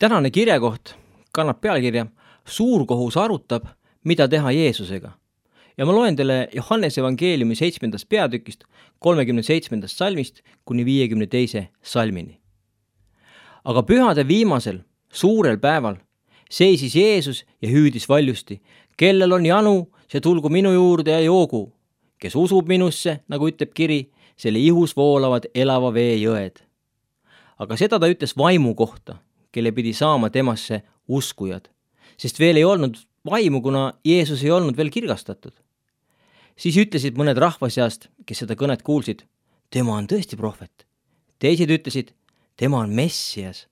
Tänane kirjakoht kannab pealkirja Suurkohus arutab, mida teha Jeesusega. Ja ma loen teile Johannese evangeeliumi 7. peatükist 37. salmist kuni 52. salmini. Aga pühade viimasel, suurel päeval seisis Jeesus ja hüüdis valjusti, kellel on janu, see tulgu minu juurde ja joogu. Kes usub minusse, nagu ütleb kiri, selle ihus voolavad elava vee jõed. Aga seda ta ütles vaimu kohta, kelle pidi saama temasse uskujad, sest veel ei olnud vaimu, kuna Jeesus ei olnud veel kirgastatud. Siis ütlesid mõned rahva seast, kes seda kõnet kuulsid, tema on tõesti prohvet. Teised ütlesid, tema on Messias.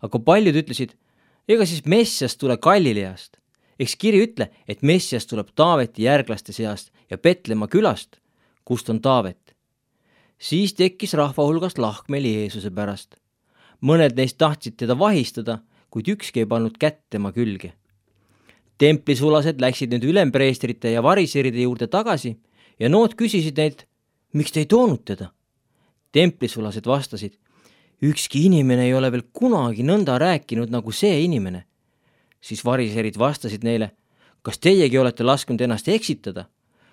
Aga paljud ütlesid, ega siis Messias tule Galileast. Eks kiri ütle, et Messias tuleb Taaveti järglaste seast ja Petlemma külast, kust on Taavet. Siis tekkis rahva hulgast lahkmeli Jeesuse pärast. Mõned neist tahtsid teda vahistada, kuid ükski ei pannud kätt tema külge. Templisulased läksid nüüd ülempreestrite ja variseride juurde tagasi ja nood küsisid neilt, miks te ei toonud teda? Templisulased vastasid, ükski inimene ei ole veel kunagi nõnda rääkinud nagu see inimene. Siis variserid vastasid neile, kas teiegi olete lasknud ennast eksitada?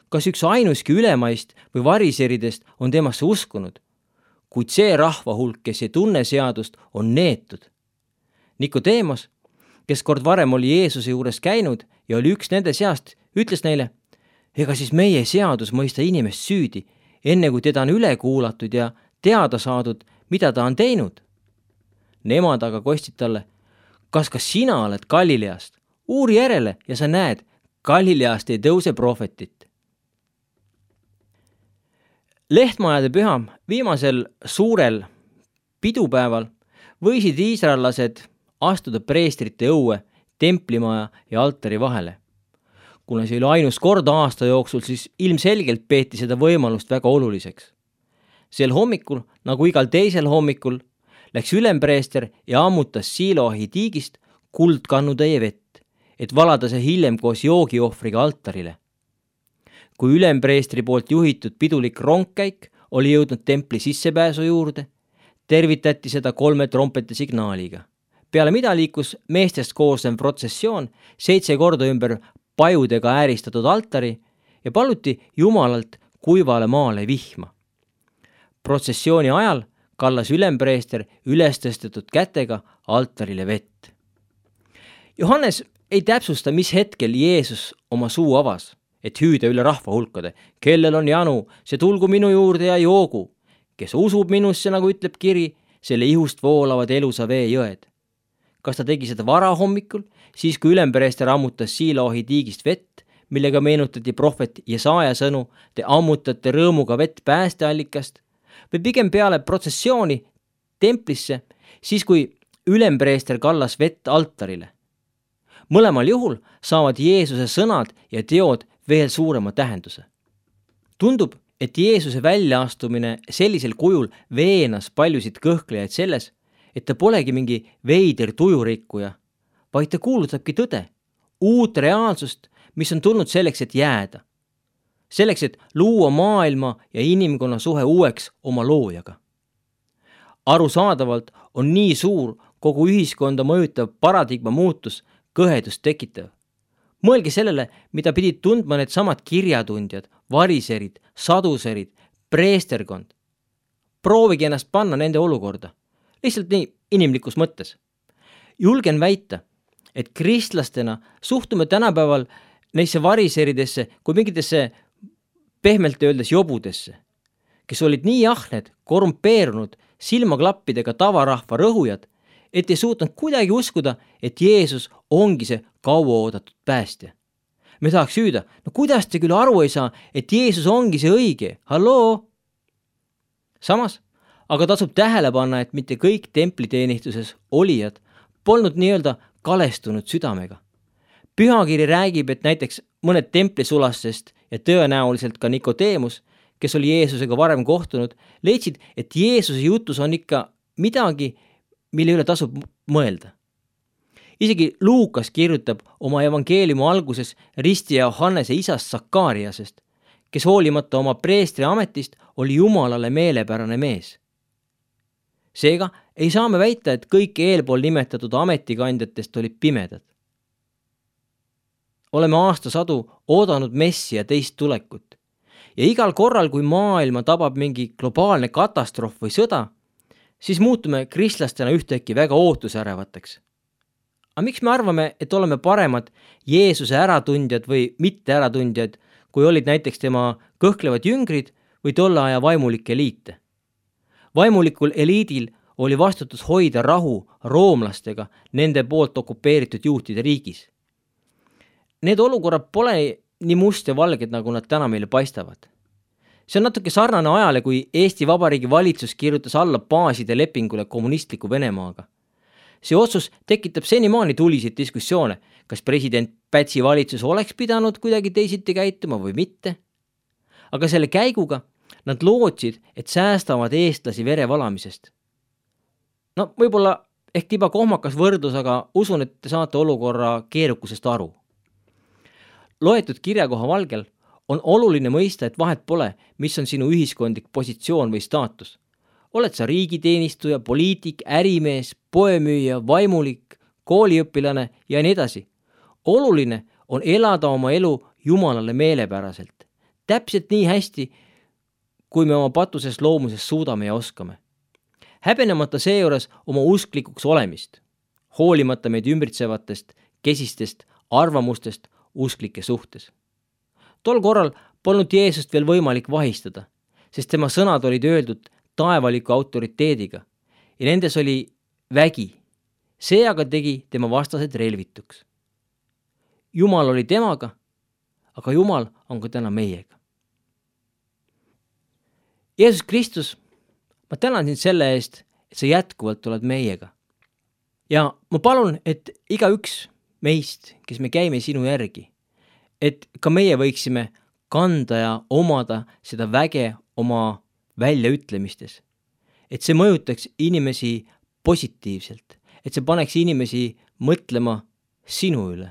Kas üks ainuski ülemaist või variseridest on temasse uskunud? Kuid see rahva hulk, kes ei tunne seadust, on neetud. Nikodeemos, kes kord varem oli Jeesuse juures käinud ja oli üks nende seast, ütles neile, ega siis meie seadus mõista inimest süüdi, enne kui teda on üle kuulatud ja teada saadud, mida ta on teinud. Nemad aga kostsid talle, kas ka sina oled Galileast? Uuri järele ja sa näed, Galileast ei tõuse prohvetit. Lehtmajade püha viimasel suurel pidupäeval võisid iisraellased astuda preestrite õue, templimaja ja altari vahele. Kuna see oli ainus kord aasta jooksul, siis ilmselgelt peeti seda võimalust väga oluliseks. Sel hommikul, nagu igal teisel hommikul, läks ülempreester ja ammutas Siloahi tiigist kuldkannutäie vett, et valada see hiljem koos joogiohvriga altarile. Kui ülempreestri poolt juhitud pidulik rongkäik oli jõudnud templi sissepääsu juurde, tervitati seda 3 trompeti signaaliga. Peale mida liikus meestest koosnev protsessioon 7 korda ümber pajudega ääristatud altari ja paluti Jumalalt kuivale maale vihma. Protsessiooni ajal kallas ülempreester üles tõstetud kätega altarile vett. Johannes ei täpsusta, mis hetkel Jeesus oma suu avas, et hüüda üle rahva hulkade, kellel on janu, see tulgu minu juurde ja joogu. Kes usub minusse, nagu ütleb kiri, selle ihust voolavad elusa vee jõed. Kas ta tegi seda varahommikul, siis kui ülempreester ammutas Siloahi tiigist vett, millega meenutati prohvet Jesaja sõnu, te ammutate rõõmuga vett päästeallikast, või pigem peale protsessiooni templisse, siis kui ülempreester kallas vett altarile. Mõlemal juhul saavad Jeesuse sõnad ja teod veel suurema tähenduse. Tundub, et Jeesuse väljaastumine sellisel kujul veenas paljusid kõhklejaid selles, et ta polegi mingi veider tujurikkuja, vaid ta kuulutabki tõde, uut reaalsust, mis on tulnud selleks, et jääda. Selleks, et luua maailma ja inimkonna suhe uueks oma loojaga. Arusaadavalt on nii suur kogu ühiskonda mõjutav paradigma muutus kõhedust tekitav. Mõelge sellele, mida pidid tundma need samad kirjatundjad, variserid, saduserid, preesterkond. Proovige ennast panna nende olukorda. Lihtsalt nii inimlikus mõttes. Julgen väita, et kristlastena suhtume tänapäeval neisse variseridesse kui mingitesse pehmelt öeldes jobudesse, kes olid nii ahned, korrumpeerunud, silmaklappidega tavarahva rõhujad, et ei suutnud kuidagi uskuda, et Jeesus ongi see kauaoodatud päästja. Me tahaks hüüda, no kuidas te küll aru ei saa, et Jeesus ongi see õige, halloo? Samas, aga tasub tähele panna, et mitte kõik templiteenistuses olijad polnud nii-öelda kalestunud südamega. Pühakiri räägib, et näiteks mõned templisulastest ja tõenäoliselt ka Nikodeemus, kes oli Jeesusega varem kohtunud, leidsid, et Jeesuse jutus on ikka midagi, mille üle tasub mõelda. Isegi Luukas kirjutab oma evangeeliumi alguses ristija Johannese isast Sakariasest, kes hoolimata oma preestri ametist oli Jumalale meelepärane mees. Seega ei saa me väita, et kõik eelpool nimetatud ametikandjatest olid pimedad. Oleme aastasadu oodanud messi ja teist tulekut. Ja igal korral, kui maailma tabab mingi globaalne katastroof või sõda, siis muutume kristlastena ühtäkki väga ootusärevateks. Aga miks me arvame, et oleme paremad Jeesuse äratundjad või mitte äratundjad, kui olid näiteks tema kõhklevad jüngrid või tolle aja vaimulik eliite? Vaimulikul eliidil oli vastutus hoida rahu roomlastega nende poolt okupeeritud juutide riigis. Need olukorrad pole nii must ja valged, nagu nad täna meile paistavad. See on natuke sarnane ajale, kui Eesti Vabariigi valitsus kirjutas alla baaside lepingule kommunistliku Venemaaga. See otsus tekitab senimaani tuliseid diskussioone, kas president Pätsi valitsus oleks pidanud kuidagi teisiti käituma või mitte. Aga selle käiguga nad lootsid, et säästavad eestlasi vere valamisest. No võib-olla ehk tiba kohmakas võrdlus, aga usun, et te saate olukorra keerukusest aru. Loetud kirjakoha valgel on oluline mõista, et vahet pole, mis on sinu ühiskondlik positsioon või staatus. Oled sa riigiteenistuja, poliitik, ärimees, poemüüja, vaimulik, kooliõpilane ja nii edasi. Oluline on elada oma elu Jumalale meelepäraselt. Täpselt nii hästi, kui me oma patuses loomuses suudame ja oskame. Häbenemata seejuures oma usklikuks olemist, hoolimata meid ümbritsevatest, kesistest arvamustest usklike suhtes. Tol korral polnud Jeesust veel võimalik vahistada, sest tema sõnad olid öeldud taevaliku autoriteediga ja nendes oli vägi. See aga tegi tema vastased relvituks. Jumal oli temaga, aga Jumal on ka täna meiega. Jeesus Kristus, ma tänan sind selle eest, et sa jätkuvalt oled meiega. Ja ma palun, et igaüks meist, kes me käime sinu järgi, et ka meie võiksime kanda ja omada seda väge oma väljaütlemistes. Et see mõjutaks inimesi positiivselt, et see paneks inimesi mõtlema sinu üle.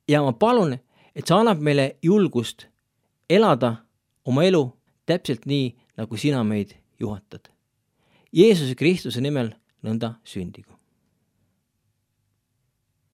Ja ma palun, et sa annab meile julgust elada oma elu täpselt nii, nagu sina meid juhatad. Jeesuse Kristuse nimel nõnda sündigu.